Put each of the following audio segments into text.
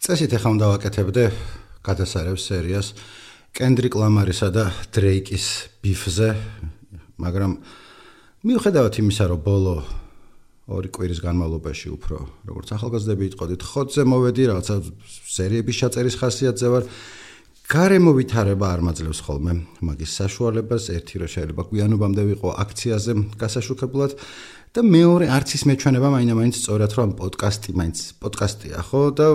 წესით ახლა უნდა ვაკეთებდე გადასარევ სერიას კენდრიკ ლამარისა და დრეიკის ბიფზე, მაგრამ მიუხედავად იმისა, რომ ბოლო 2 კვირის განმავლობაში უფრო როგორც ახალგაზრდები იტყოდით, ხოთზე მოვედი, რაღაცა სერიების ჩაწერის ხასიათზე ვარ. გარემო ვითარება არ მაძლევს ხოლმე მაგის საშუალებას, ერთი რომ შეიძლება გვიანობამდე ვიყო აქციაზე გასაშუქებულად და მეორე არც ის მეჩვენება მაინც სწორად რომ პოდკასტი მაინც პოდკასტია, ხო და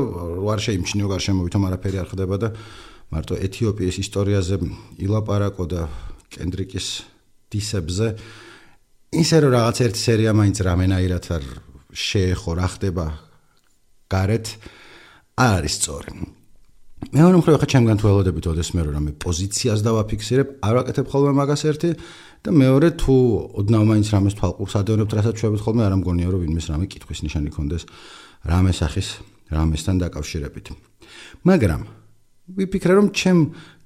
არ შეიმჩნიო გარშემო ვითომ არაფერი არ ხდება და მარტო ეთიოპიის ისტორიაზე ილაპარაკო და კენდრიკის დისებზე ისე რომ რაღაც ერთი სერია მაინც რამენაირად არ შეეხო რა ხდება გარეთ არ არის სწორი. მეორე მხრივ ხა ჩემგან თუ ველოდებით ოდესმე რომ რამე პოზიციას დავაფიქსირებ, არ ვაკეთებ ხოლმე მაგას ერთი და მეორე თუ ოდნავ მაინც რამეს თვალყურს ადევნებთ, რასაც შვებით ხოლმე არ ამგონია რომ ვინმეს რამე კითხვის ნიშანი ქონდეს რამე სახის რამესთან დაკავშირებით. მაგრამ ვიფიქრე რომ ჩემ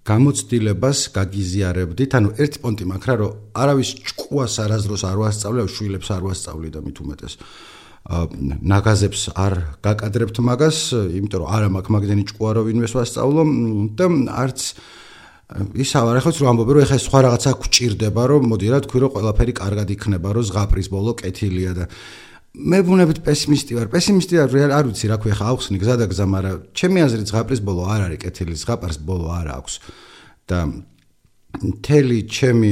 გამოცდილებას გაგიზიარებდით, ანუ ერთი პონტი მაქვს რა რომ არავის ჭკუას არასდროს არ ვასწავლე, შვილებს არ ვასწავლი და მით უმეტეს ნაგაზებს არ გაკადრებთ მაგას, იმიტომ რომ არა მაქვს მაგდენი ჭკუა რომ ვინმეს ვასწავლო და არც ისა არ ახლა რომ ამბობენ რომ ეხლა სხვა რაღაცა გვჭირდება რომ მოდი რა თქვი რომ ყველაფერი კარგად იქნება, რომ ზღაპრის ბოლო კეთილია და მე ვუნებით პესიმისტი ვარ. პესიმისტი არ ვიცი რა ქვია ხა ახსნი გზა და გზა, მაგრამ ჩემი აზრით ზღაპრის ბოლო არ არის კეთილი, ზღაპრის ბოლო არ აქვს და მთელი ჩემი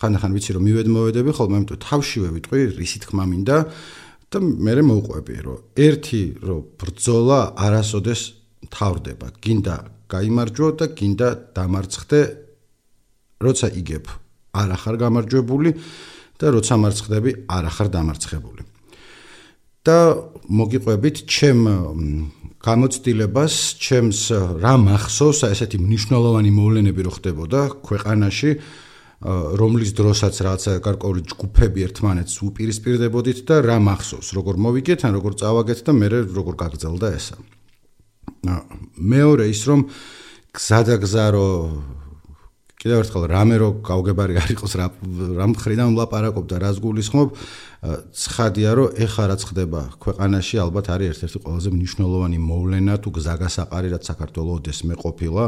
ხანდახან ვიცი რომ მივედმოვედები ხოლმე, იმიტომ თავშივე ვიტყვი რისი თქმა მინდა და მე მოვყვები რომ ერთი რომ ბრძოლა არასოდეს თავდება, გინდა გაიმარჯვო და გინდა დამარცხდე, როცა იგებ არ ახარ გამარჯვებული და როცა მარცხდები არ ახარ დამარცხებული. და მოგიყვებით ჩემ გამოცდილებას, ჩემს რა მახსოვს ესეთი მნიშვნელოვანი მოვლენები რო ხდებოდა ქვეყანაში, რომლის დროსაც რაღაცა გარკვეული ჯგუფები ერთმანეთს უპირისპირდებოდით და რა მახსოვს, როგორ მოვიგეთ, ან როგორ წავაგეთ და მე როგორ გაგრძელდა ესა. მეორე ის რომ გზადაგზა რო კიდევ ერთხელ რამე რო გავგებარი არ იყოს რა მხრიდან ვლაპარაკობ და რას გულისხმობ, ცხადია რომ ეხლა რაც ხდება ქვეყანაში ალბათ არის ერთ-ერთი ყველაზე მნიშვნელოვანი მოვლენა თუ გზაგასაყარი რაც საქართველოს ოდესმე ყოფილა.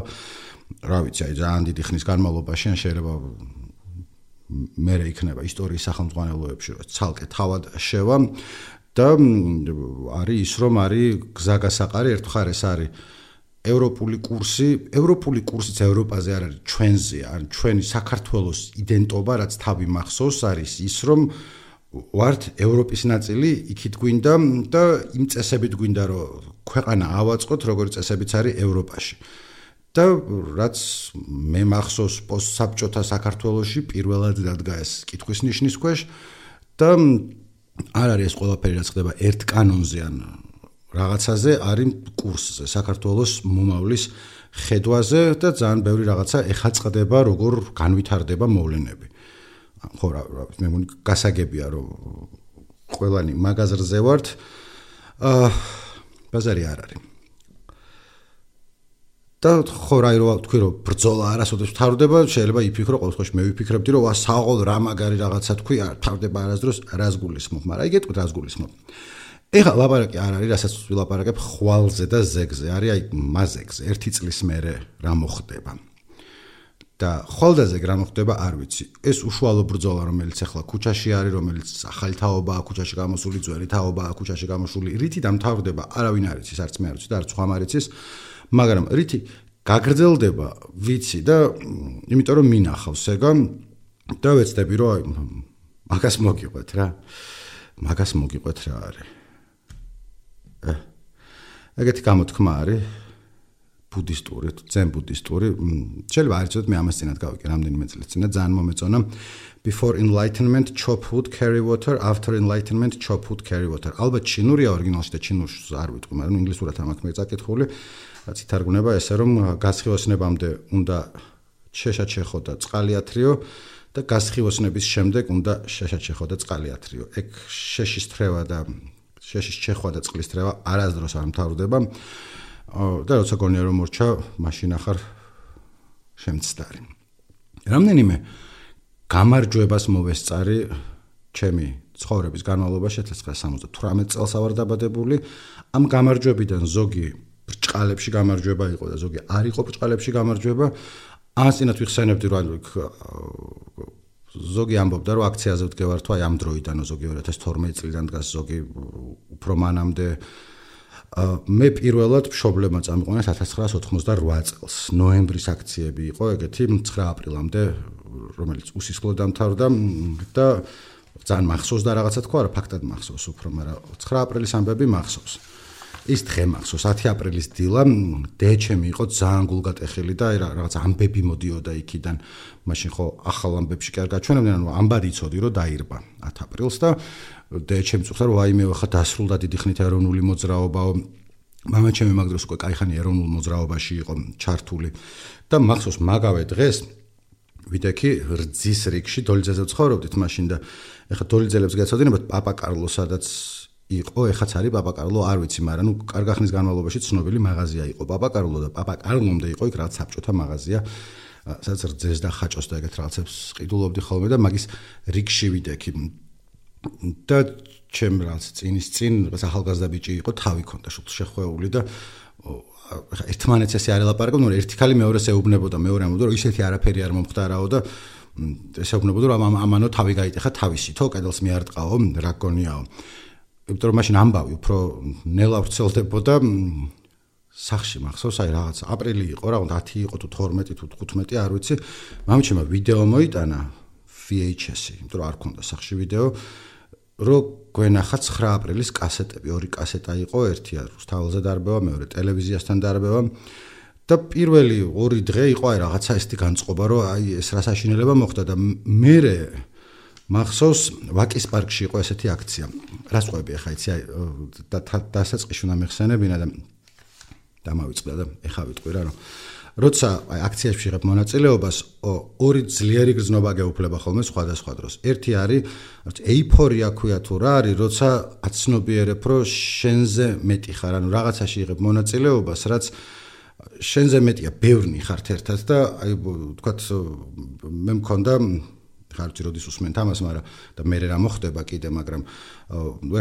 რა ვიცი, აი ძალიან დიდი ხნის განმავლობაში ან შეიძლება მერე იქნება ისტორიის სახელმძღვანელოებში რომ ცალკე თავად შევა და არის ის რომ არის გზაგასაყარი ერთხელ ეს არის ევროპული კურსიც ევროპაზე არ არის ჩვენზე, ან ჩვენი საქართველოს იდენტობა რაც თავი მახსოვს არის ის რომ ვართ ევროპის ნაწილი, იქით გვინდა და იმ წესებით გვინდა რომ ქვეყანა ავაწყოთ, როგორც წესებიც არის ევროპაში. და რაც მე მახსოვს პოსტსაბჭოთა საქართველოში პირველად დადგა ეს კითხვის ნიშნის ქვეშ და არ არის ეს ყველაფერი რაც ხდება ერთ კანონზე ან რაღაცაზე, არის კურსზე, საქართველოს მომავლის ხედვაზე და ძალიან ბევრი რაღაცა ეხა წყდება, როგორ განვითარდება მოვლენები. ხო რა მე მგონი გასაგებია რომ ყველანი მაგაზრზე ვართ. ბაზარი არ არის. და ხო რა თქვი რომ ბრძოლა არასოდეს თავდება, შეიძლება იფიქრო, ყოველ შემთხვევაში მე ვიფიქრებდი რომ საყოველთაოდ რა მაგარი რაღაცა თქვი, არ თავდება არასდროს რას გულისხმობ, მაგრამ აი გეტყვით რას გულისხმობ. ეხლა ლაპარაკი არ არის, რასაც ვილაპარაკებ ხვალზე და ზეგზე, არის აი მაზეგზე, 1 წლის მერე რა მოხდება. და ხვალდაზე რა მოხდება არ ვიცი. ეს უშუალო ბრძოლა რომელიც ახლა ქუჩაში არის, რომელიც ახალი თაობაა, ქუჩაში გამოსული, ძველი თაობაა, ქუჩაში გამოსული, რითი დამთავრდება, არავინ არ იცის, არც მე არ ვიცი და არც ხომ არ იცის, მაგრამ რითი გაგრძელდება, ვიცი და იმიტომ რომ მინახავს ეგა და ვეცდები რომ მაგას მოგიყვეთ რა. მაგას მოგიყვეთ რა არის. ეგეთი გამოთქმა არის ბუდისტური, ძენ ბუდისტური, შეიძლება არ იცოდეთ, მე ამას წინათ გავიკე რამდენიმე წლის წინათ, ძალიან მომეწონა. Before enlightenment chop wood carry water, after enlightenment chop wood carry water. ალბათ ჩინურია ორიგინალში და ჩინურს არ ვიტყვი, მაგრამ ინგლისურად ამაქვს მე წაკითხული, რაც ითარგმნება ესე რომ გასხივოსნებამდე უნდა შეშაჩეხო და წყალი ათრიო და გასხივოსნების შემდეგ უნდა შეშაჩეხო და წყალი ათრიო. ეგ შეშის თრევა და შეშის ჩეხვა და წყლის თრევა არასდროს არ მთავრდება. და როცა გონია რომ მორჩა, მაშინ ახარ შემცდარი. რამდენიმე გამარჯვებას მოვესწარი ჩემი ცხოვრების განმავლობაში 1978 წელს ვარ დაბადებული. ამ გამარჯვებიდან ზოგი ბრჭყალებში გამარჯვება იყო და ზოგი არ იყო ბრჭყალებში გამარჯვება. ანსინათ ვიხსენებდი რომ ზოგი ამბობდა რომ აქციაზე ვდგევარ თუ აი ამ დროიდან ზოგი 2012 წლიდან დგას ზოგი უფრო მანამდე მე პირველად მშობლებმა წამიყვანეს 1988 წელს ნოემბრის აქციები იყო ეგეთი 9 აპრილამდე რომელიც უსისხლოდ დამთავრდა და ძალიან მახსოვს და რაღაცა თქვა რა ფაქტად მახსოვს უფრო მაგრამ 9 აპრილის ამბები მახსოვს ის დღე მახსოვს 10 აპრილის დილა დეჩემი იყო ძალიან გულგატეხილი და რაღაც ამბები მოდიოდა იქიდან მაშინ ხო ახალ ამბებში კი არ გაჩვენებდნენ ანუ ამბად იცოდი რომ დაირბა 10 აპრილს და დეჩემი წუხდა რომ ვაიმე ხა დასრულდა დიდი ხნით ეროვნული მოძრაობაო მამაჩემი მაგ დროს უკვე кайხანი ეროვნულ მოძრაობაში იყო ჩართული და მახსოვს მაგავე დღეს ვიდექი რძის რიგში დოლიძეზე ვცხოვრობდით მაშინ და ეხა დოლიძელებს გეცოდინებათ პაპა კარლო სადაც იყო ეხაც არის პაპა კარლო არ ვიცი მაგრამ ნუ კარგ ხნის განმავლობაში ცნობილი მაღაზია იყო პაპა კარლო და პაპა კარლომდე იყო იქ რაც საბჭოთა მაღაზია სადაც რძეს და ხაჭოს და ეგეთ რაღაცებს ყიდულობდი ხოლმე და მაგის რიგში ვიდექი და ჩემ რაც წინის წინ ახალგაზრდა ბიჭი იყო თავი ქონდა შუქ შეხვეული და ერთმანეთს ესე არ ელაპარაკობ ნუ ერთი ხალი მეორეს ეუბნებოდა მეორე ამბობდა რომ ისეთი არაფერი არ მომხდარაო და ესე ეუბნებოდა რომ ამანო თავი გაიტეხა თავისითო კედელს მიარტყაო რა გონიაო იმიტომ რომ მაშინ ამბავი უფრო ნელა ვრცელდებოდა სახში მახსოვს აი რაღაც აპრილი იყო რა 10 იყო თუ 12 თუ 15 არ ვიცი მამჩემ ვიდეო მოიტანა VHS-ი იმიტომ რომ არ ქონდა სახში ვიდეო რო გვენახა 9 აპრილის კასეტები ორი კასეტა იყო ერთი რუსთაველზე დარბევა მეორე ტელევიზიასთან დარბევა და პირველი ორი დღე იყო აი რაღაცა ესეთი განწყობა რომ აი ეს რა საშინელება მოხდა და მერე მახსოვს ვაკის პარკში იყო ესეთი აქცია რას ყვები ახლა იცი აი დასაწყისში უნდა მეხსენებინა და დამავიწყდა და ეხა ვიტყვი რა რომ როცა აი აქციაში ვიღებ მონაწილეობას ორი ძლიერი გრძნობა გეუფლება ხოლმე სხვადასხვა დროს ერთი არის ეიფორია ქვია თუ რა არის როცა აცნობიერებ რომ შენზე მეტი ხარ ანუ რაღაცაში იღებ მონაწილეობას რაც შენზე მეტია ბევრნი ხართ ერთად და აი თქვათ მე მქონდა ხარ ვთქვი როდის უსმენთ ამას მაგრამ და მე რა მოხდება კიდე მაგრამ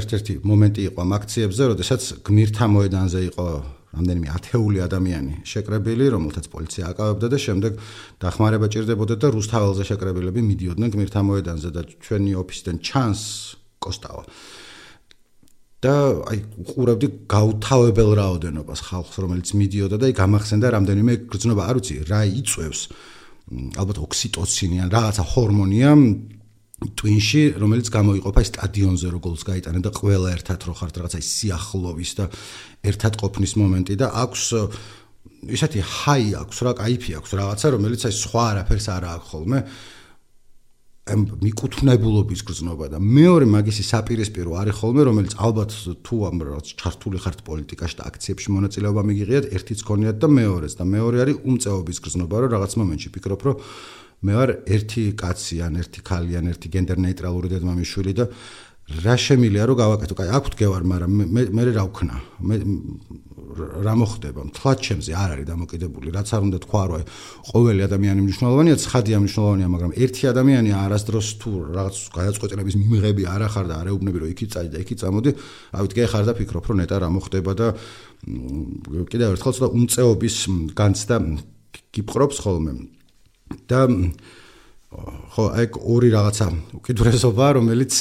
ერთ-ერთი მომენტი იყო ამ აქციებზე როდესაც გმირთა მოედანზე იყო რამდენიმე ათეული ადამიანი შეკრებილი რომელთაც პოლიცია აკავებდა და შემდეგ დახმარება ჭირდებოდა და რუსთაველზე შეკრებილები მიდიოდნენ გმირთა მოედანზე და ჩვენი ოფისიდან ჩანს კოსტავა და აი უყურებდი გაუთავებელ რაოდენობას ხალხს რომელიც მიდიოდა და აი გამახსენდა რამდენიმე გრძნობა არ ვიცი რა იწევს ალბათ ოქსიტოცინი ან რაღაცა ჰორმონია ტვინში რომელიც გამოიყოფა სტადიონზე როგორ გაიტანენ და ყველა ერთად რო ხართ რაღაცა სიახლოვის და ერთად ყოფნის მომენტი და აქვს ისეთი ჰაი აქვს რა кайფი აქვს რაღაცა რომელიც აი სხვა არაფერს არ აქვს ხოლმე მიკუთვნებულობის გრძნობა და მეორე მაგისი საპირისპირო არის ხოლმე რომელიც ალბათ თუ ამ რაღაც ჩართული ხართ პოლიტიკაში და აქციებში მონაწილეობა მიგიღიათ ერთიც გქონიათ და მეორეც და მეორე არის უმწეობის გრძნობა რომ რაღაც მომენტში ფიქრობ რომ მე ვარ ერთი კაცი ან ერთი ქალი ან ერთი გენდერ ნეიტრალური დედმამიშვილი და რა შემილია რომ გავაკეთო კაი აქ ვდგევარ მაგრამ მე რა ვქნა მე რა მოხდება მთლად ჩემზე არ არის დამოკიდებული რაც არ უნდა თქვა რომ ყოველი ადამიანი მნიშვნელოვანია ცხადია მნიშვნელოვანია მაგრამ ერთი ადამიანი არასდროს თუ რაღაც გადაწყვეტილების მიმღები არ ახარ და არ ეუბნები რომ იქით წადი და იქით წამოდი ავით გეხარ და ფიქრობ რომ ნეტა რა მოხდება და კიდევ ერთხელ ცოტა უმწეობის განცდა გიპყრობს ხოლმე და ხო აი ორი რაღაცა უკიდურესობა რომელიც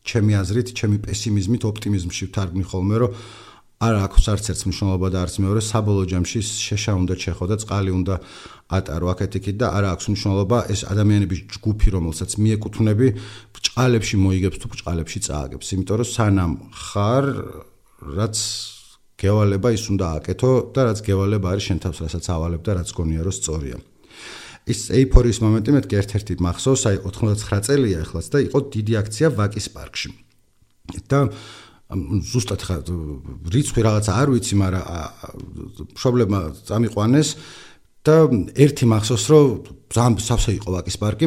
ჩემი აზრით ჩემი პესიმიზმით ოპტიმიზმში ვთარგმნი ხოლმე რომ არ აქვს არც ერთ მნიშვნელობა და არც მეორე საბოლოო ჯამში შეშა უნდა ჩეხო და წყალი უნდა ატარო აქეთ-იქით და არ აქვს მნიშვნელობა ეს ადამიანების ჯგუფი რომელსაც მიეკუთვნები ბრჭყალებში მოიგებს თუ ბრჭყალებში წააგებს იმიტომ რომ სანამ ხარ რაც გევალება ის უნდა აკეთო და რაც გევალება არის შენ თავს რასაც ავალებ და რაც გონია რომ სწორია ის ეიფორიის მომენტი მეთქი ერთ-ერთი მახსოვს აი 99 წელია ახლაც და იყო დიდი აქცია ვაკის პარკში და ზუსტად ხა რიცხვი რაღაცა არ ვიცი მაგრამ მშობლებმა წამიყვანეს და ერთი მახსოვს რომ ძალიან სავსე იყო ვაკის პარკი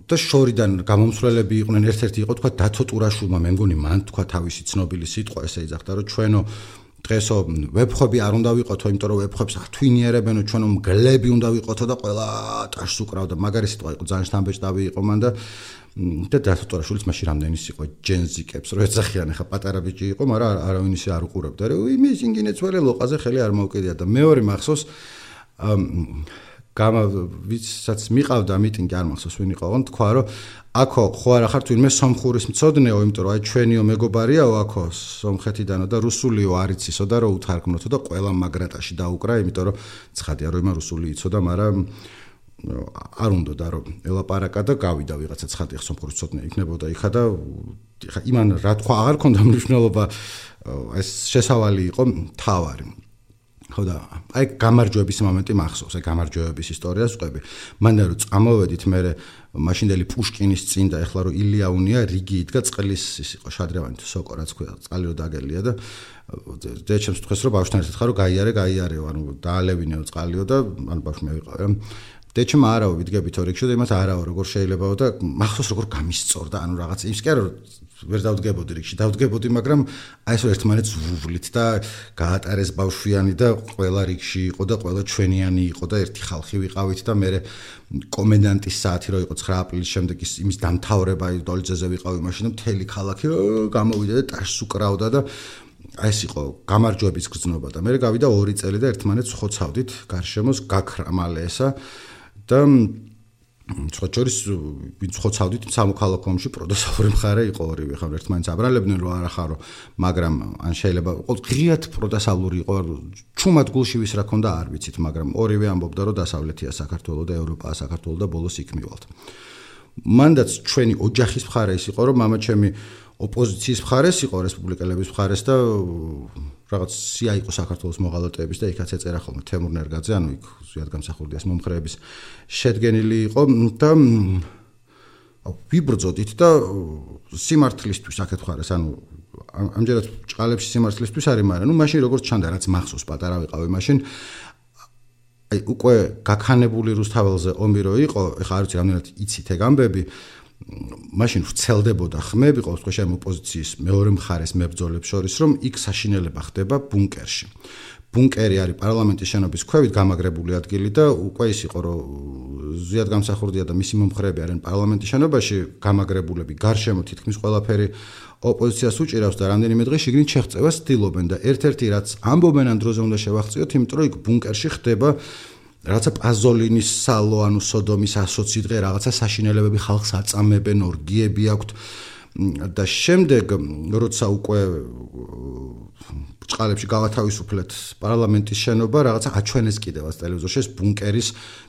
და შორიდან გამომსვლელები იყვნენ ერთ-ერთი იყო თქვა დათო ტურაშულმა მე მგონი მან თქვა თავისი ცნობილი სიტყვა ესე იძახდა რომ ჩვენო დღესო ვებხები არ უნდა ვიყოთო, იმიტომ რომ ვებხებს ათვინიერებენო, ჩვენო მგლები უნდა ვიყოთო და ყველა ტაშს უკრავდა. მაგარი სიტყვა იყო, ძალიან შთამბეჭდავი იყო მან და დათოტორაშვილიც მაშინ რამდენის იყო ჯენზიკებს, რო ეძახიან, ახლა პატარა ბიჭი იყო, მაგრამ არავინ ისე არ უყურებდა. იმის ინგინე ცველე ლოყაზე ხელი არ მოუკიდია და მეორე მახსოვს ვისაც მიყავდა მიტინგი არ მახსოვს ვინ იყო, თქვა რომ აქო ხო არა ხარ თვითონ სომხურის მწოდნეო, იმიტომ რომ აი ჩვენიო მეგობარიაო აქო სომხეთიდანო და რუსულიო არ იცისო და რო უთარგმნოთო და ყველა მაგრატაში დაუკრა, იმიტომ რომ ცხადია რომ იმან რუსული იცოდა, მაგრამ არ უნდა და რომ ელაპარაკა და გავიდა ვიღაცა ცხადია სომხურის მწოდნე იქნებოდა იქა და იმან რა თქვა აღარ ქონდა მნიშვნელობა, ეს შესავალი იყო თავარი. ხო და აი გამარჯვების მომენტი მახსოვს, აი გამარჯვების ისტორიას ვყვები. მანდა რომ წამოვედით მე მაშინდელი პუშკინის წინ და ეხლა რომ ილია უნია რიგი იდგა წყლის ის იყო შადრევანი თუ სოკო რაც ქვია წყალი რო დაგელია და დეჩემს თქვეს რომ ბავშვთან ერთად ხარო გაიარეო ანუ დაალევინეო წყალიო და ანუ ბავშვი მე ვიყავ რა დეჩმა არავ ვიდგებით რიგში და იმას არავ როგორ შეიძლებაო და მახსოვს როგორ გამისწორდა ანუ რაღაც ის კი არა ვერ დავდგებოდი რიგში დავდგებოდი მაგრამ აი ეს ერთმანეთს ვუვლით და გაატარეს ბავშვიანი და ყველა რიგში იყო და ყველა ჩვენიანი იყო და ერთი ხალხი ვიყავით და მე კომენდანტის საათი რო იყო 9 აპრილის შემდეგ იმის დამთავრება დოლიძეზე ვიყავი მაშინ და მთელი ქალაქი გამოვიდა და ტაშს უკრავდა და აი ეს იყო გამარჯვების გზნობა და მე გავიდა 2 წელი და ერთმანეთს ხოცავდით გარშემოს გაქრა მალე ესა და ცოტჯორის ვინც ხოცავდით სამოქალაქო ომში პროდესავური მხარე იყო ორივე ხარ ერთმანეთს აბრალებდნენ რომ არა ხარო მაგრამ ან შეიძლება ღიად პროდესავლური იყო ჩუმად გულში ვის რა ქონდა არ ვიცით მაგრამ ორივე ამბობდა რომ დასავლეთია საქართველო და ევროპაა საქართველო და ბოლოს იქ მივალთ მანდაც ჩვენი ოჯახის მხარე ის იყო რომ მამა ჩემი ოპოზიციის მხარეს იყო რესპუბლიკელების მხარეს და რაღაც სია იყო საქართველოს მოღალატეების და იქაც ეწერა ხოლმე თემურ ნერგაძე ანუ იქ ზიად გამსახურდიას მომხრეების შედგენილი იყო და ვიბრძოდით და სიმართლისთვის აქეთ ხარეს ანუ ამჯერად ჭყალებში სიმართლისთვის არის მაგრამ ნუ მაშინ როგორც ჩანდა რაც მახსოვს პატარა ვიყავი მაშინ აი უკვე გაქანებული რუსთაველზე ომი რო იყო ეხლა არ ვიცი რამდენად იცით ეგ ამბები მაშინ ვრცელდებოდა ხმები ყოველ შემთხვევაში ამ ოპოზიციის მეორე მხარეს მებრძოლებს შორის რომ იქ საშინელება ხდება ბუნკერში. ბუნკერი არის პარლამენტის შენობის ქვევით გამაგრებული ადგილი და უკვე ის იყო რომ ზიად გამსახურდია და მისი მომხრეები არიან პარლამენტის შენობაში გამაგრებულები გარშემო თითქმის ყველაფერი ოპოზიციას უჭირავს და რამდენიმე დღე შიგნით შეღწევას ცდილობენ და ერთ-ერთი რაც ამბობენ ამ დროზე უნდა შევახციოთ იმიტომ რომ იქ ბუნკერში ხდება რაღაცა პაზოლინის სალო ანუ სოდომის 120 დღე რაღაცა საშინელებები ხალხს აწამებენ ორგიები აქვთ და შემდეგ როცა უკვე ბრჭყალებში გავათავისუფლეთ პარლამენტის შენობა რაღაცა აჩვენეს კიდევაც ტელევიზორში ეს ბუნკერის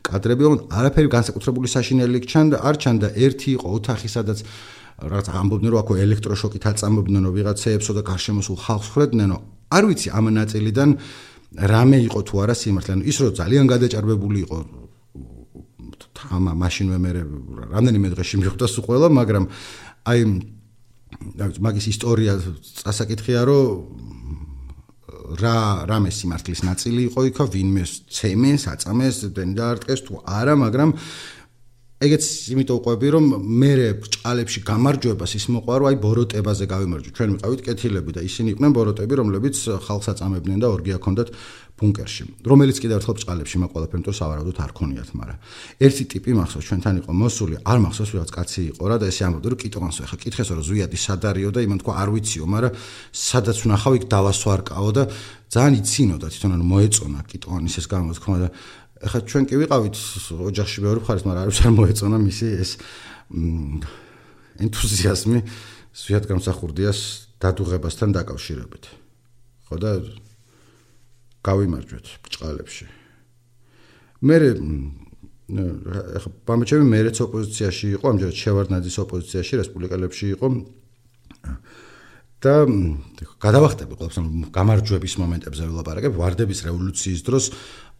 კადრები არაფერი განსაკუთრებული საშინელი ჩანდა არ ჩანდა ერთი იყო ოთახი სადაც რაღაცა ამბობდნენ რომ აქ ელექტროშოკით აწამებდნენო ვიღაცეებსო და გარშემო სულ ხალხს ხვდებდნენო არ ვიცი ამ ნაწილიდან რამე იყო თუ არა სიმართლე ანუ ის რომ ძალიან გადაჭარბებული იყო თამა მაშინვე მე რამდენიმე დღეში მიხვდა სულ ყველა მაგრამ აი მაგის ისტორია წასაკითხია რომ რამე სიმართლის ნაწილი იყო იქა ვინმე ცემეს აწამეს დაარტყეს თუ არა მაგრამ ეგეც იმიტომ ყვები რომ მე ბრჭყალებში გამარჯვებას ის მოყვა რომ აი ბოროტებაზე გავიმარჯვე ჩვენ ვიყავით კეთილები და ისინი იყვნენ ბოროტები რომლებიც ხალხს აწამებდნენ და ორგია ჰქონდათ ბუნკერში რომელიც კიდევ ერთხელ ბრჭყალებში მაყოლაფენ თუ სავარაუდოდ არ ქონიათ მაგრამ ერთი ტიპი მახსოვს ჩვენთან იყო მოსული არ მახსოვს ვიღაც კაცი იყო რა და ესე ამბობდა რომ კიტოვანსო ახლა კითხესო რომ ზვიადი სად არისო და იმან თქვა არ ვიციო მაგრამ სადაც ვნახავ იქ დავასვარკაო და ძალიან იცინოდა თვითონ ანუ მოეწონა კიტოვანის ეს გამოთქმა და ახლა ჩვენ კი ვიყავით ოჯახში მეორე მხარეს, მაგრამ არ ვიცი არ მოეწონა მისი ეს ენთუზიაზმი ზვიად გამსახურდიას დადუღებასთან დაკავშირებით. ხო და გავიმარჯვეთ ბრჭყალებში. მე ახლა პამეჩემი მეც ოპოზიციაში იყო, ამჯერად შევარდნაძის ოპოზიციაში, რესპუბლიკელებში იყო. და გადავახტები ყველაფერს გამარჯვების მომენტებზე ვილაპარაკებ, ვარდების რევოლუციის დროს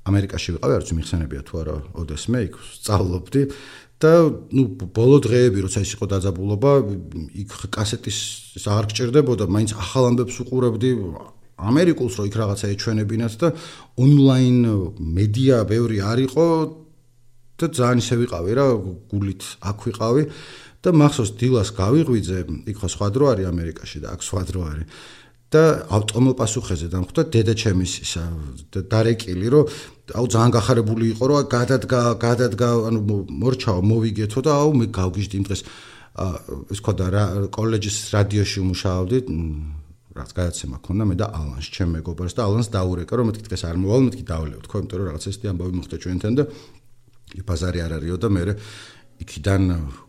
ამერიკაში ვიყავი, არ ვიცი მიხსენებია თუ არა, ოდესმე იქ სწავლობდი და ნუ ბოლო დღეები როცა ის იყო დაძაბულობა, იქ კასეტის აღარ გჭირდებოდა, მაინც ახალ ამბებს უყურებდი ამერიკულს რო იქ რაღაცა ეჩვენებინათ და ონლაინ მედია ბევრი არ იყო და ძალიან ისე ვიყავი რა, გულით აქ ვიყავი და მახსოვს დილას გავიღვიძე, იქ ხო სხვა დრო არის ამერიკაში და აქ სხვა დრო არის. და ავტომობილ პასუხეზე დამხვდა დედაჩემის ისა დარეკილი რომ აუ ძალიან გახარებული იყო რომ გადადგა ანუ მორჩაო მოვიგეთო და აუ მე გავგიჟდი იმ დღეს ის ხო და კოლეჯის რადიოში ვმუშაობდი რაც გადაცემა ქონდა მე და ალანს ჩემ მეგობარს და ალანს დაურეკა რომ მეთქი დღეს არ მოვალ მეთქი დავლევთ ხო იმიტომ რომ რაღაც ესეთი ამბავი მოხდა ჩვენთან და ბაზარი არ არისო და მე იქიდან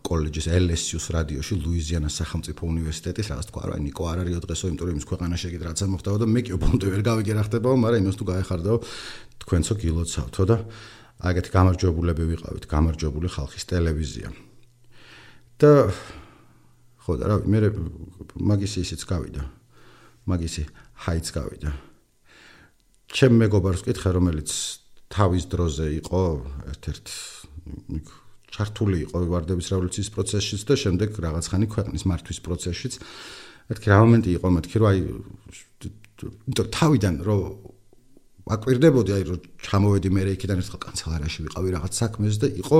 კოლეჯის LSU-ს რადიოში ლუიზიანას სახელმწიფო უნივერსიტეტის რაღაც თქვა რა ნიკო არ არისო დღესო იმიტომ რომ იმის ქვეყანაში ეგეთ რაღაცა მოხდაო და მე კი უბუნტუ ვერ გავიგე რა ხდებაო მაგრამ იმას თუ გაეხარდაო თქვენცო გილოცავთო და აგეთი გამარჯვებულები ვიყავით გამარჯვებული ხალხის ტელევიზია და ხო და რა მე მაგისი ისიც გავიდა მაგისი ჰაიც გავიდა ჩემ მეგობარს ვკითხე რომელიც თავის დროზე იყო ერთ-ერთ ჩართული იყო ვარდების რევოლუციის პროცესშიც და შემდეგ რაღაც ხანი ქვეყნის მართვის პროცესშიც მეთქი რა მომენტი იყო მეთქი რომ აი თავიდან რომ აკვირდებოდი აი რომ ჩამოვედი მე იქიდან ერთხელ კანცელარიაში ვიყავი რაღაც საქმეს და იყო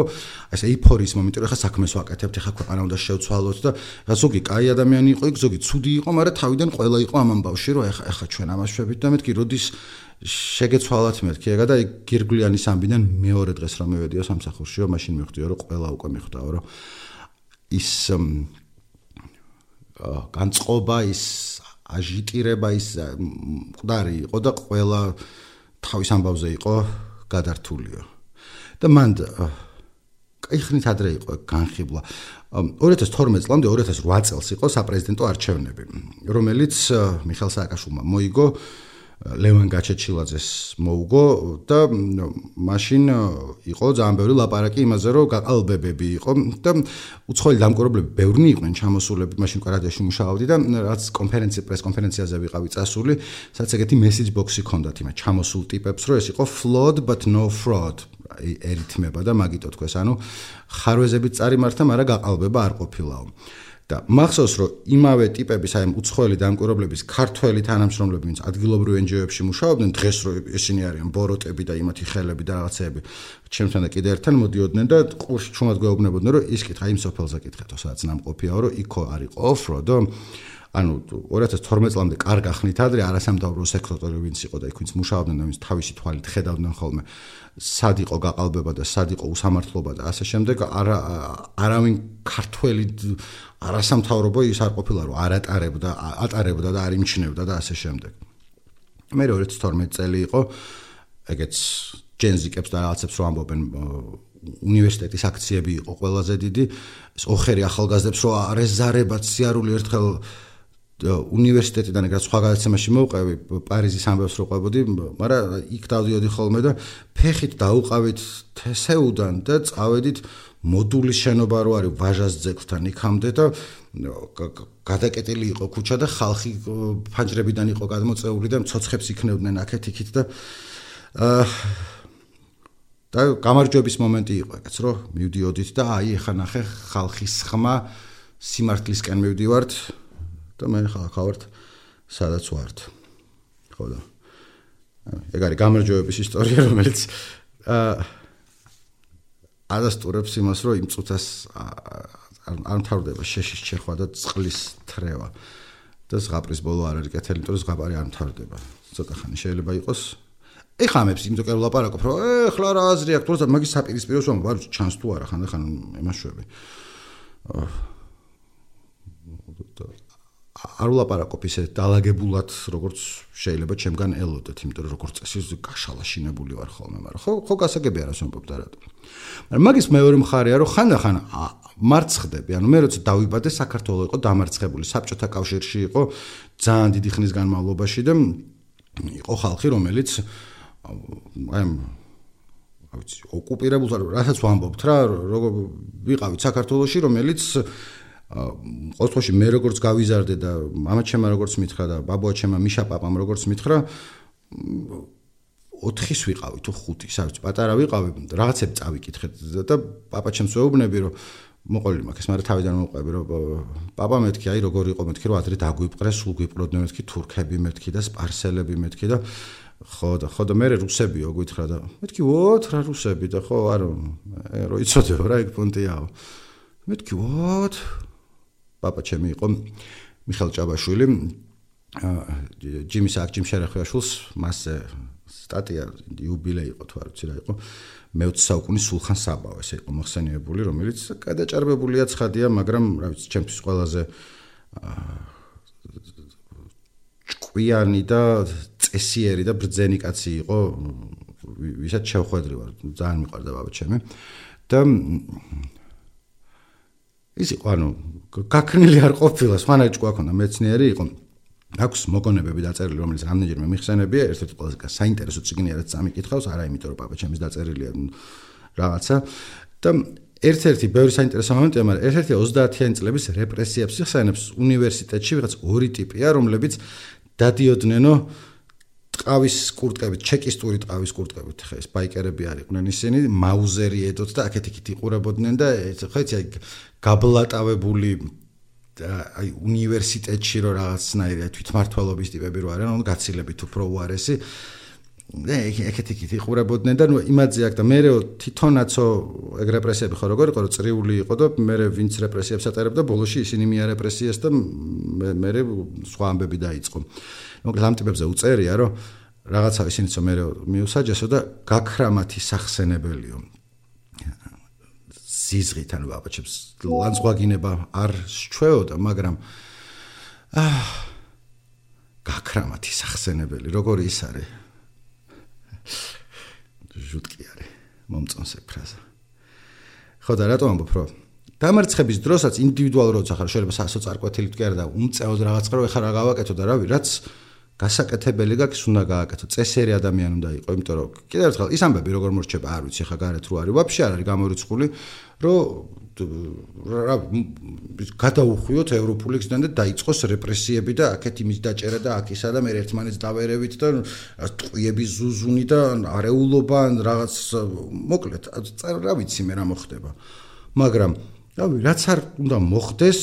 ესე ეიფორიის მომენტი რომ ხა საქმეს ვაკეთებთ ხა ქვეყანა უნდა შევცვალოთ და ზოგი კაი ადამიანი იყო იქ ზოგი ცუდი იყო მაგრამ თავიდან ყველა იყო ამ ამბავში რომ ხა ჩვენ ამას შვებით და მეთქი როდის შეგეცვალათ მეთქი ეგა და გირგვლიანის ამბიდან მეორე დღეს რომ მივედიო სამსახურში რომ მაშინ მივხვდიო რომ ყველა უკვე მიხვდაო რომ ის განწყობა ის აჟიტირება ის მყდარი იყო და ყველა თავის ამბავზე იყო გადართულიო და მან კაი ხნით ადრე იყო განხიბლა 2012 წლამდე 2008 წელს იყო საპრეზიდენტო არჩევნები რომელიც მიხეილ სააკაშვილმა მოიგო ლევან გაჩეჩილაძეს მოუგო და მაშინ იყო ძალიან ბევრი ლაპარაკი იმაზე რომ გაყალბებები იყო და უცხოელი დამკვირვებლები ბევრნი იყვნენ ჩამოსულები მაშინ რადიოში მუშაობდი და რაც პრეს კონფერენციაზე ვიყავი წასული სადაც ეგეთი message box-ი ქონდათ იმ ჩამოსულ ტიპებს რომ ეს იყო flawed but no fraud ერითმება და მაგიტო თქვეს ანუ ხარვეზებით წარიმართა მაგრამ გაყალბება არ ყოფილაო და მახსოვს რომ იმავე ტიპების აი უცხოელი დამკვირვებლების ქართველი თანამშრომლები ვინც ადგილობრივ NGO-ებში მუშაობდნენ დღეს რომ ისინი არიან ბოროტები და იმათი ხელები და რაღაცეები ჩემთან და კიდე ერთთან მოდიოდნენ და ყურში ჩუმად გვეუბნებოდნენ რომ ის კითხა იმ სოფელზე კითხეთო სადაც ნამყოფიაო რომ იქო არ იყო ოფროდო ანუ 2012 წლამდე კარგა ხნით ადრე არასამთავრობო სექტორი ვინც იყო და იქ ვინც მუშაობდნენ და ვინც თავისი თვალით ხედავდნენ ხოლმე სად იყო გაყალბება და სად იყო უსამართლობა და ასე შემდეგ არავინ ქართველი არასამთავრობო ის არ ყოფილა რომ ატარებდა და არ იმჩნევდა და ასე შემდეგ მე 2012 წელი იყო ეგეც ჯენზიკებს და რაღაცებს რომ ამბობენ უნივერსიტეტის აქციები იყო ყველაზე დიდი ეს ოხერი ახალგაზრდებს რომ არეზარებად სიარული ერთხელ უნივერსიტეტიდან ეგრეთ სხვა გადაცემაში მოვყევი პარიზის ამბებს რო ყვებოდი მაგრამ იქ დავდიოდი ხოლმე და ფეხით დაუყავით თესეუდან და წავედით მოდულის შენობა რო არის ვაჟას ძეგლთან იქამდე და გადაკეტილი იყო ქუჩა და ხალხი ფანჯრებიდან იყო გადმოწეული და მცოცხლებს იქნევდნენ აქეთ იქით და გამარჯვების მომენტი იყო ეგეც რომ მივდიოდით და აი ეხა ნახე ხალხის ხმა სიმართლისკენ მივდივართ და მე ხალხა ვართ სადაც ვართ ხო და ეგ არის გამარჯვების ისტორია რომელიც ადასტურებს იმას რომ იმ წუთას არ მთავრდება შეშის ჩეხვა და წყლის თრევა და ზღაპრის ბოლო არ არის კეთილი იმიტომ რომ ზღაპარი არ მთავრდება ცოტა ხანი შეიძლება იყოს ეხლა ამებს იმიტომ რომ ლაპარაკობ რომ ეხლა რა აზრი აქვს თორსა მაგის საპირისპირო რომ ვარ ჩანს თუ არა ხან ემაშვები არ ვლაპარაკობ ისე დაალაგებულად როგორც შეიძლება ჩემგან ელოდეთ იმიტომ რომ როგორც წესი გაშალაშინებული ვარ ხოლმე მაგრამ ხო გასაგებია რას ვამბობ და რატო მაგრამ მაგის მეორე მხარეა რომ ხანდახან მარცხდები ანუ მე როცა დავიბადე საქართველოს იყო დამარცხებული საბჭოთა კავშირში იყო ძალიან დიდი ხნის განმავლობაში და იყო ხალხი რომელიც აი ვიცი ოკუპირებულ რასაც ვამბობთ რა როგორ ვიყავით საქართველოში რომელიც ყოველთვის მე როგორც გავიზარდე და მამა ჩემმა როგორც მითხრა და ბაბუა ჩემმა მიშა პაპამ როგორც მითხრა 4-ის ვიყავი თუ 5-ის არ ვიცი პატარა ვიყავი რაღაცებს წავიკითხეთ და პაპა ჩემს ვეუბნები რომ მოყოლი მაქვს მაგრამ თავიდან მოყვები რომ პაპა მეთქი აი როგორ იყო მეთქი რომ ადრე დაგვიპყრეს სულ გვიპყროდნენ მეთქი თურქები მეთქი და სპარსელები მეთქი და ხო და მე რუსებიო გითხრა და მეთქი ვოთ რა რუსები და ხო არ რო იცოდებო რა ეგ პონტიაო მეთქი ვოთ პაპა ჩემი იყო მიხეილ ჭაბაშვილი ჯიმის ჯიმ შერახვაშვილს მასზე სტატია იუბილეი იყო თუ არ ვიცი რა იყო მე-20 საუკუნის სულხან საბა ესე იყო მოხსენიებული რომელიც გადაჭარბებულია ცხადია მაგრამ რა ვიცი ჩემთვის ყველაზე ჭკვიანი და წესიერი და ბრძენი კაცი იყო ვისაც შევხვედრი ვარ ძალიან მიყვარდა ბაბა ჩემი და ის იყო ანუ გაქნილი არ ყოფილა სხვანაირი ჭკვა ქონდა მეცნიერი იყო აქვს მოგონებები დაწერილი რომელიც რამდენჯერმე მიხსენებია ერთ-ერთი ყველაზე საინტერესო წიგნი რაც წამიკითხავს არა იმიტომ რომ ბაბა ჩემის დაწერილია რაღაცა და ერთ-ერთი ბევრი საინტერესო მომენტია მაგრამ ერთ-ერთი 30-იანი წლების რეპრესიებს იხსენებს უნივერსიტეტში ვიღაც ორი ტიპია რომლებიც დადიოდნენ ტყავის კურტკებით ჩეკისტური ტყავის კურტკებით ხა ეს ბაიკერები არიყვნენ ისინი მაუზერი ედოთ და აქეთ-იქით იყურებოდნენ და ხა იცი გაბლატავებული აი უნივერსიტეტში რო რაღაცნაირი თვითმართველობის ტიპები რო არიან, ანუ გაცილებით უფრო უარესი. და ეგეთი იყურებოდნენ და ნუ იმაძე აქ და მეერე თვითონაცო ეგ რეპრესიები ხო როგორ იყო, რომ წრიული იყო და მეერე ვინც რეპრესიებს ატარებდა, ბოლოში ისინი მიარეპრესიეს და მეერე სხვა ამბები დაიწყო. მოკლედ ამ ტიპებზე უწერია, რომ რაღაცა ისინიც მეერე მიუსაჯესო და გაქრამათი სახსენებელიო. ზიზღით ანუ აბაჩებს ლანძღვაგინება არ შეჩვეოდა, მაგრამ გაქრამათი სახსენებელი, როგორი ის არის? ჟუტკი არის, მომწონს ეგ ფრაზა. ხო და რატომ ამბობ, რომ დამარცხების დროსაც ინდივიდუალურად როცა ხარ, შეიძლება სასოწარკვეთილით კი არა და უმწეოდ რაღაც ყრო ეხლა რა გავაკეთო და რავი, რაც გასაკეთებელი გაქვს უნდა გააკეთო. წესიერი ადამიანი უნდა იყო, იმიტომ რომ კიდევ ერთხელ ის ამბები როგორ მორჩება, არ ვიცი, ხა გარეთ რო არის, ვაფშე არ არის გამორიცხული, რომ რა გადაუხვიოთ ევროპული გზიდან და დაიწყოს რეპრესიები და აქეთ იმის დაჭერა და აქ ისა და მე ერთმანეთს დავერევით და ტყვიების ზუზუნი და არეულობა რაღაც მოკლედ რა ვიცი მე რა მოხდება. მაგრამ რავი, რაც არ უნდა მოხდეს,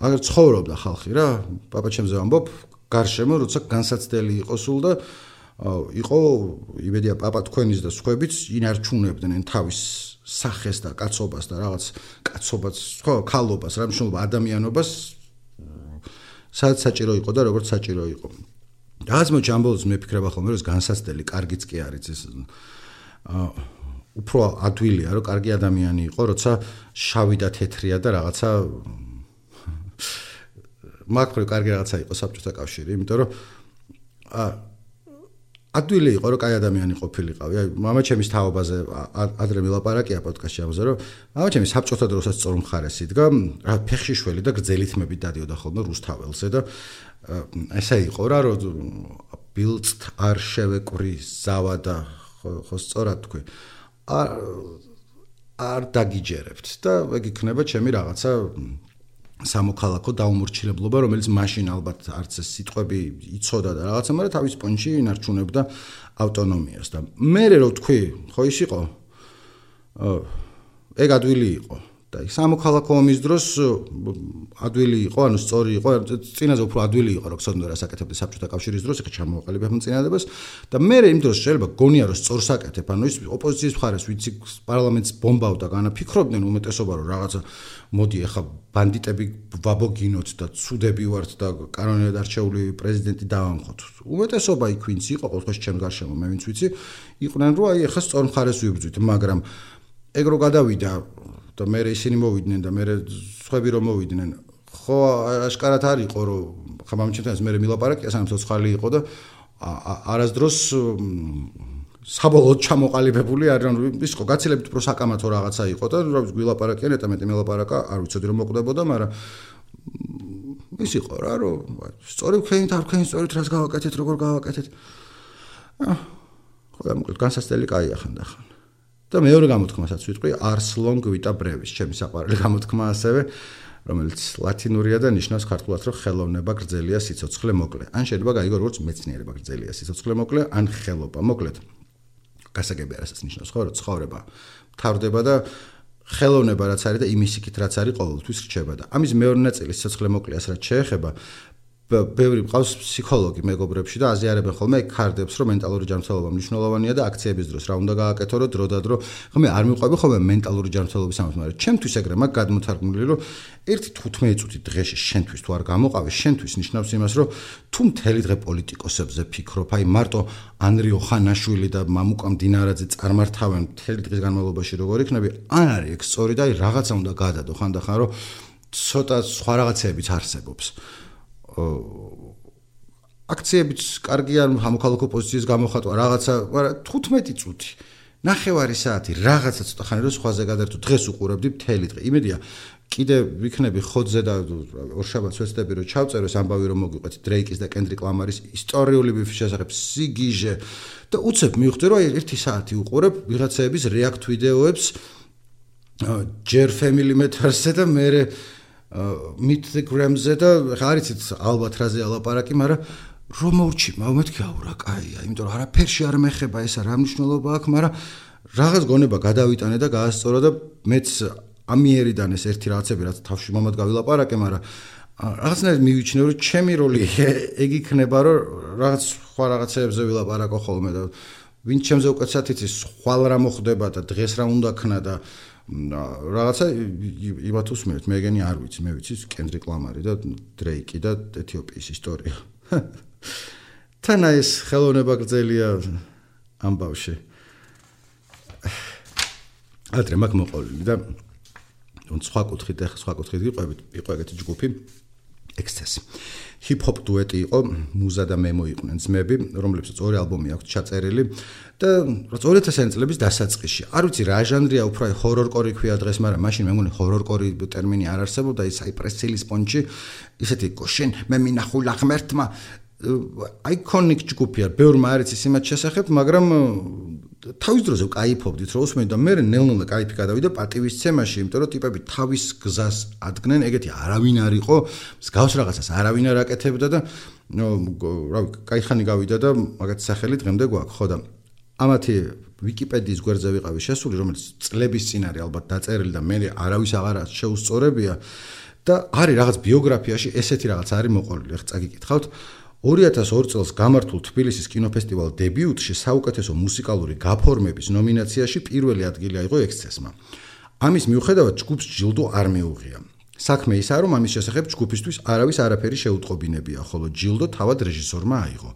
აგერ ცხოვრობდა ხალხი რა, პაპაჩემზე ვამბობ გარშემო როცა განსაცდელი იყო სულ და იყო იმედია პაპა თქვენის და სხვაებიც ინარჩუნებდნენ თავის სახეს და კაცობას და რაღაც კაცობას, ხო, ქალობას, რა მნიშვნელობა ადამიანობას სადაც საჭირო იყო და როგორც საჭირო იყო. რაღაც მოჩამბოლს მე ფიქრება ხოლმე რომ განსაცდელი კარგიც კი არის ეს უფრო ადვილია რომ კარგი ადამიანი იყო, როცა შავი და თეთრია და რაღაცა მაგფრე კარგი რაღაცა იყო საბჭოთა კავშირი, იმიტომ რომ ადვილი იყო რომ კაი ადამიანი ყოფილიყავი. აი მამაჩემის თაობაზე ადრე მილაპარაკია პოდკასტში ამაზე, რომ მამაჩემი საბჭოთა დროსაც სწორ მხარეს იდგა, რა ფეხში შველი და გრძელი თმებით დადიოდა ხოლმე რუსთაველზე და ესე იყო რა, რომ ბილწთ არ შევეკური ზავა და ხო სწორად თქვი. არ დაგიჯერებთ და ეგ იქნება ჩემი რაღაცა სამოქალაქო დაუმორჩილებლობა, რომელიც მაშინ ალბათ არც ეს სიტყვები იცოდა და რაღაცა, მაგრამ თავის პონჩი ინარჩუნებდა ავტონომიას და მე რო თქვი, ხო ის იყო? ეგ ადვილი იყო და სამოქალაქო ომის დროს ადვილი იყო, ანუ სწორი იყო, წინაზე უფრო ადვილი იყო, რომ ხსოვდა რა საკეთებდა საბჭოთა კავშირის დროს, ეხა ჩამოვაყალიბებ მოწინააღმდეგეს და მე იმ დროს შეიძლება გონია რომ სწორ საკეთებ, ანუ ის ოპოზიციის მხარეს ვიცი პარლამენტს ბომბავდა, განაფიქრობდნენ უმეტესობა რომ რაღაცა მოდი ეხა ბანდიტები ვაბოგინოთ და ცუდები ვართ და კანონიერ არჩეული პრეზიდენტი დავამხოთ. უმეტესობა იქ ვინც იყო, ყოველთვის ჩემს გარშემო მე ვინც ვიცი, იყვნენ რომ აი ეხა სწორ მხარეს ვიბრძვით, მაგრამ ეგ რო გადავიდა და მე ისინი მოვიდნენ და მე სხვები რომ მოვიდნენ, ხო აშკარად არ იყო რომ ხა მამჩემთან მე მილაპარაკია სამ ცოცხალი იყო და არასდროს საბოლოოდ ჩამოყალიბებული არ ის იყო გაცილებით უფრო საკამათო რაღაცა იყო და რა ვიცი გვილაპარაკიან ეტამეტი მილაპარაკა არ ვიცოდი რომ მოკვდებოდა, მაგრამ ის იყო რა რომ სწორი ვქენით არ ვქენით სწორით რას გავაკეთეთ როგორ გავაკეთეთ. ხო და მოკლედ განსაცდელი კაია ხანდახან. და მეორე გამოთქმასაც ვიტყვი არსლონ გვიტა ბრევის, ჩემი საყვარელი გამოთქმა ასევე, რომელიც ლათინურია და ნიშნავს ქართულად რომ ხელოვნება გრძელია სიცოცხლე მოკლე. ან შეიძლება გაიგო როგორც მეცნიერება გრძელია სიცოცხლე მოკლე, ან ხელობა მოკლედ. გასაგები არასაც ნიშნავს ხო, რომ ცხოვრება მთავრდება და ხელოვნება რაც არის და იმის იქით რაც არის ყოველთვის რჩება და ამის მეორე ნაწილი სიცოცხლე მოკლეას რაც შეეხება ბევრი ყავს ფსიქოლოგი მეგობრებში და აზიარებენ ხოლმე ქარდებს, რომ მენტალური ჯანმრთელობა მნიშვნელოვანია და აქციების დროს რა უნდა გააკეთო, რომ დრო და დრო ხომ არ მიყვები ხოლმე მენტალური ჯანმრთელობის ამას, მაგრამ ჩემთვის ეგრე მაგ გადმოთარგმნილი, რომ 1-15 წუთი დღეში შენთვის თუ არ გამოყავი, შენთვის ნიშნავს იმას, რომ თუ მთელი დღე პოლიტიკოსებზე ფიქრობ, აი მარტო ანრი ოხანაშვილი და მამუკა მდინარაძე წარმართავენ მთელი დღის განმავლობაში როგორ იქნები, არ არის ეგ სწორი და აი რაღაცა უნდა გადადო ხანდახან, რომ ცოტა სხვა რაღაცებიც არსებობს. აქციებიც კარგი არ მოქალაქო პოზიციის გამოხატვა რაღაცა, მაგრამ 15 წუთი, ნახევარი საათი რაღაცა ცოტა ხანი რომ სხვაზე გადაერთო დღეს უყურებდი მთელი დღე. იმედია კიდე ვიქნები ხოძზე და ორშაბათს ვეცდები რომ ჩავწერო ეს ამბავი რომ მოგიყვეთ დრეიკის და კენდრიკ ლამარის ისტორიული ბიფის შესახებ სიგიჟე და უცებ მივხვდი რომ 1 საათი უყურებ ვიღაცების რეაქტ ვიდეოებს ჯერ family matters-ზე და მერე meet the grams-ზე და ხა არიცით ალბათ რაზე ალაპარაკი, მაგრამ რომ მოვჭი, მეთქი აურა, კაია, იმიტომ რომ არაფერში არ მეხება ესა რა მნიშვნელობა აქვს, მაგრამ რაღაც გონება გადავიტანე და გაასწორა და მეც ამიერიდან ეს ერთი რაღაცები რაც თავში მომად გავილაპარაკე, მაგრამ რაღაცნაირად მივიჩნევ რომ ჩემი როლი ეგ იქნება რომ რაღაც სხვა რაღაცებზე ვილაპარაკო ხოლმე და ვინც ჩემზე უკეთესად იცის ხვალ რა მოხდება და დღეს რა უნდა ქნა და რაღაცა იმათ უსმენთ, მე ეგენი არ ვიცი, მე ვიცი კენდრიკ ლამარი და დრეიკი და ეთიოპიის ისტორია. თანა ეს ხელოვნება გრძელია ამბავში. ადრე მაგ მოყოლილი და სხვა კუთხით იყო ეგეთი ჯგუფი ექსცესი. ჰიპ-ჰოპ დუეტი იყო, მუზა და მემო იყვნენ ძმები, რომლებსაც 2 ალბომი აქვთ ჩაწერილი და 2000-იანი წლების დასაწყისში. არ ვიცი რა ჟანრია, უფრო ჰორორკორი ქვია დღეს, მაგრამ მაშინ მე მგონი ჰორორკორი ტერმინი არ არსებობდა, ის საიპრეს ცილის პონჩი, ისეთი გოშენ მე მინახულა ღმერთმა აიკონიკ ჯგუფია, ბევრმა არ იცის იმათ შესახებ, მაგრამ თავის დროზე ვკაიფობდით, რომ უსმენთ და მე ნელ-ნელა кайფი გადავიდა პატივისცემაში, იმიტომ რომ ტიპები თავის გზას ადგენენ, ეგეთი არავინ არ იყო, მსგავს რაღაცას არავინ არ აკეთებდა და რავი, кайხანი გავიდა და მაგათი სახელი დღემდე გვაქვს, ხო და ამათი ვიკიპედიის გვერდზე ვიყავი შესული, რომელიც წლების წინ არის ალბათ დაწერილი და მე არავის აღარ შეუსწორებია და არის რაღაც ბიოგრაფიაში ესეთი რაღაც არის მოყოლილი, ახლა წაგიკითხავთ 2002 წელს გამართულ თბილისის კინოფესტივალ დებიუტში საუკეთესო მუსიკალური გაფორმების ნომინაციაში პირველი ადგილი აიღო ექსცესმა. ამის მიუხედავად ჯგუფს ჯილდო არ მიუღია. საქმე ისაა, რომ ამის შესახებ ჯგუფისთვის არავის არაფერი შეუტყობინებია, ხოლო ჯილდო თავად რეჟისორმა აიღო.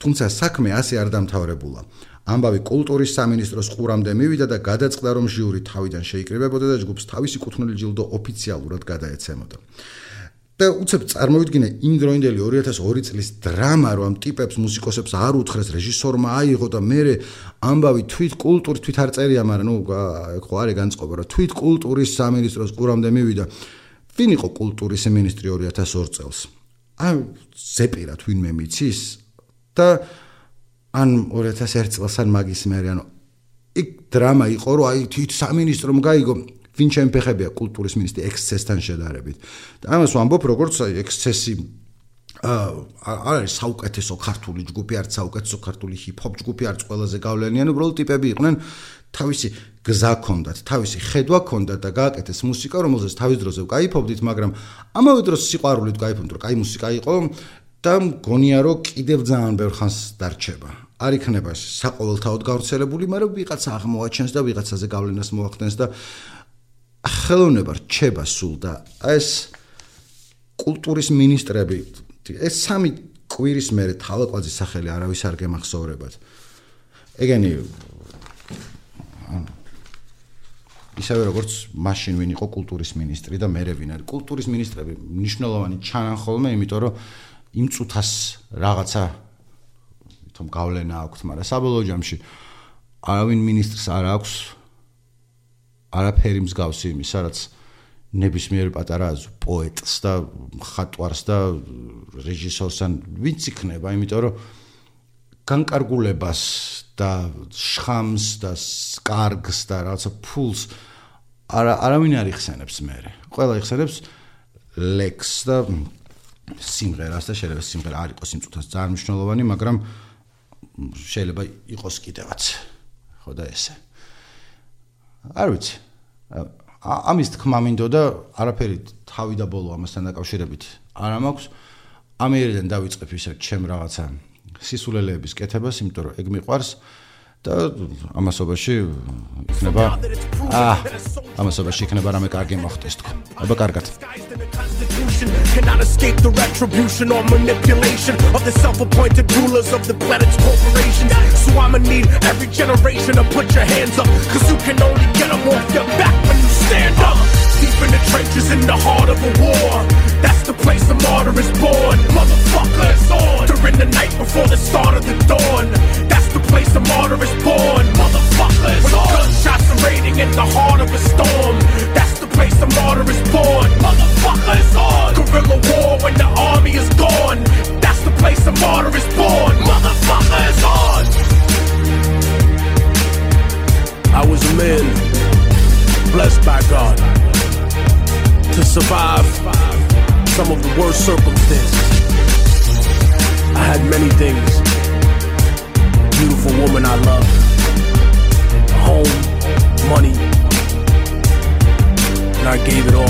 თუმცა საქმე ასე არ დამთავრებულა. ამბავი კულტურის სამინისტროს ყურამდე მივიდა და გადაწყდა, რომ ჟიური თავიდან შეიკრიბებოდა და ჯგუფს თავისი კუთვნილი ჯილდო ოფიციალურად გადაეცემოდა. და უცებ წარმოვიდგინე იმ დროინდელი 2002 წლის დრამა, რომ ამ ტიპებს მუსიკოსებს არ უთხრეს რეჟისორმა აიღო და მერე ამბავი თვით კულტურის თვით არ წერია, მაგრამ ნუ ხო არის განწყობა, რომ თვით კულტურის სამინისტროს ყურამდე მივიდა. ვინ იყო კულტურის მინისტრი 2002 წელს? ან ზეპირად ვინმე მიცის და ან 2001 წელს ან მაგის მერე, ანუ იქ დრამა იყო, რომ აი თვით სამინისტრომ გაიგო ვინ შემფეხებია კულტურის მინისტრი ექსცესთან შედარებით. და ამას ვამბობ, როგორც ექსცესი არის საუკეთესო ქართული ჯგუფი, არც საუკეთესო ქართული ჰიპ-ჰოპ ჯგუფი, არც ყველაზე გავლენიანი, უბრალოდ ტიპები იყვნენ, თავისი გზა ჰქონდათ, თავისი ხედვა ჰქონდათ და გააკეთეს მუსიკა, რომელზეც თავის დროზე ვკაიფობდით, მაგრამ ამავე დროს სიყვარულით ვკაიფობდით, რომ კაი მუსიკა იყო და მგონია, რომ კიდევ ძალიან ბევრ ხანს დარჩება. არ იქნება საყოველთაოდ გავრცელებული, მაგრამ ვიღაცა აღმოაჩენს და ვიღაცაზე გავლენას მოახდენს და ხელოვნება რჩება სულ და ეს კულტურის მინისტრები ეს 3 კვირის მერე თავაკვაძის სახელი არავის არ გემახსოვრებათ. ეგენი ისევე როგორც მაშინ ვინ იყო კულტურის მინისტრი და მერე ვინ არის. კულტურის მინისტრები მნიშვნელოვანი ჩანან ხოლმე, იმიტომ რომ იმ წუთას რაღაცა თომ გავლენა აქვს, მაგრამ საბოლოო ჯამში არავინ მინისტრს არ აქვს არაფერი მსგავსი იმისა, რაც ნებისმიერ პატარა პოეტს და მხატვარს და რეჟისორს ან ვინც იქნება, იმიტომ რომ განკარგულებას და შხამს და კარგს და რაღაცა ფულს არავინ არ იხსენებს მერე. ყველა იხსენებს ლექს და სიმღერას და შეიძლება სიმღერა არ იყოს იმ წუთას ძალიან მნიშვნელოვანი, მაგრამ შეიძლება იყოს კიდევაც. ხო და ესე. არ ვიცი. ამის თქმა მინდოდა არაფერი თავი და ბოლო ამასთან დაკავშირებით არ მაქვს. ამიერიდან დავიწყებ ისე ჩემ რაღაცა სისულელეების კეთებას, იმიტომ რომ ეგ მიყვარს და ამასობაში იქნება რამე კარგი მოხდეს თქო. აბა კარგად. Cannot escape the retribution or manipulation of the self-appointed rulers of the planet's corporations. So I'ma need every generation to put your hands up, cause you can only get them off your back when you stand up. Deep in the trenches in the heart of a war, that's the place the martyr is born. Motherfucker, it's on. During the night before the start of the dawn, that's the place the martyr is born. Motherfucker, it's on. When gunshots are raining in the heart of a storm, that's the place the martyr is born. Motherfucker, it's on. Guerrilla war when the army is gone, that's the place the martyr is born. Motherfucker, it's on. I was a man blessed by God to survive some of the worst circumstances. I had many things. Beautiful woman I loved, a home, money, and I gave it all